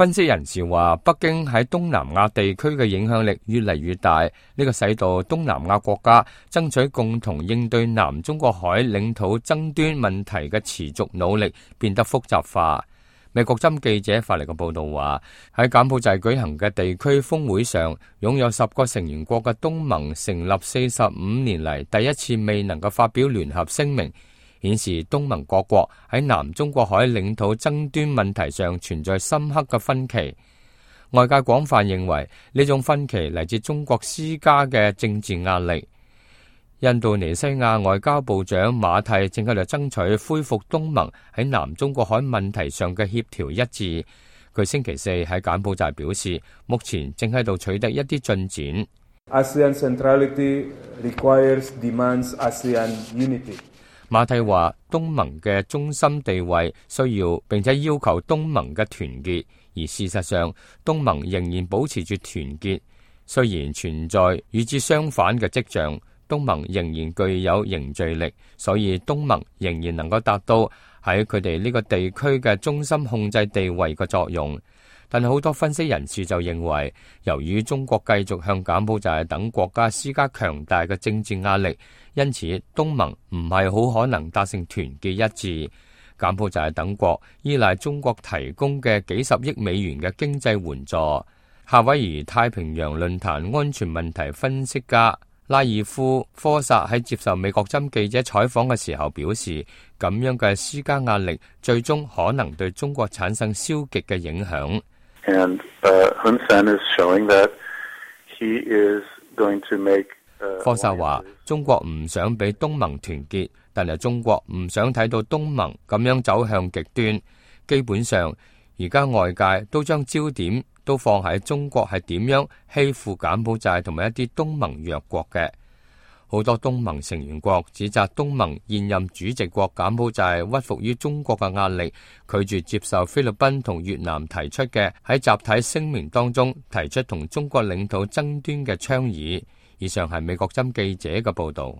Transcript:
分析人士話，北京喺東南亞地區嘅影響力越嚟越大，呢個使到東南亞國家爭取共同應對南中國海領土爭端問題嘅持續努力變得複雜化。美國針記者發嚟嘅報道話，喺柬埔寨舉行嘅地區峰會上，擁有10個成員國嘅東盟成立45年嚟第一次未能夠發表聯合聲明，顯示東盟各國喺南中國海領土爭端問題上存在深刻嘅分歧。外界廣泛認為呢種分歧嚟自中國施加嘅政治壓力。印度尼西亞外交部長馬蒂正喺度爭取恢復東盟喺南中國海問題上嘅協調一致。佢星期四喺柬埔寨表示，目前正喺度取得一啲進展。ASEAN centrality demands ASEAN unity。馬蒂話，東盟嘅中心地位需要並且要求東盟嘅團結，而事實上東盟仍然保持住團結，雖然存在與之相反嘅跡象。東盟仍然具有凝聚力，所以東盟仍然能夠達到喺佢哋呢個地區嘅中心控制地位嘅作用。但係好多分析人士就認為，由於中國繼續向柬埔寨等國家施加強大嘅政治壓力，因此東盟唔係好可能達成團結一致。柬埔寨等國依賴中國提供嘅幾十億美元嘅經濟援助。夏威夷太平洋論壇安全問題分析家拉爾夫科薩喺接受美國針記者採訪嘅時候表示，咁樣嘅施加壓力最終可能對中國產生消極嘅影響。科薩話，中國唔想俾東盟團結，但係中國唔想睇到東盟咁樣走向極端。基本上，而家外界都將焦點都放喺中國係點樣欺負柬埔寨同埋一啲東盟弱國嘅。好多東盟成員國指責東盟現任主席國柬埔寨屈服於中國嘅壓力，拒絕接受菲律賓同越南提出嘅喺集體聲明當中提出同中國領土爭端嘅倡議。以上係美國針記者嘅報道。